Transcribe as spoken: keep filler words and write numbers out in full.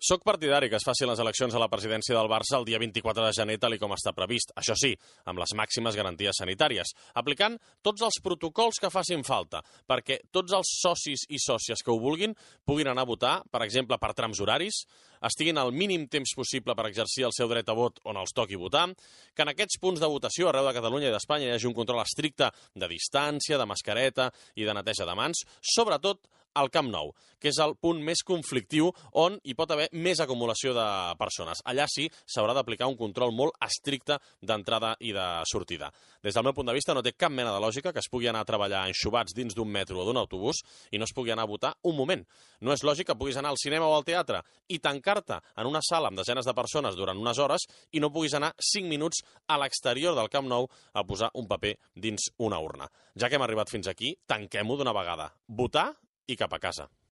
Soc partidari que es facin les eleccions a la presidència del Barça el dia vint-i-quatre de gener, tal i com està previst. Això sí, amb les màximes garanties sanitàries, aplicant tots els protocols que facin falta, perquè tots els socis i sòcies que ho vulguin puguin anar a votar, per exemple, per trams horaris, estiguin al mínim temps possible per exercir el seu dret a vot on els toqui votar, que en aquests punts de votació arreu de Catalunya i d'Espanya hi hagi un control estricte de distància, de mascareta i de neteja de mans, sobretot al Camp Nou, que és el punt més conflictiu on hi pot haver més acumulació de persones. Allà sí s'haurà d'aplicar un control molt estricte d'entrada i de sortida. Des del meu punt de vista no té cap mena de lògica que es pugui anar a treballar enxubats dins d'un metro o d'un autobús i no es pugui anar a votar un moment. No és lògic que puguis anar al cinema o al teatre i tancar-te en una sala amb desenes de persones durant unes hores i no puguis anar cinc minuts a l'exterior del Camp Nou a posar un paper dins una urna. Ja que hem arribat fins aquí, tanquem-ho d'una vegada. Votar i cap a casa.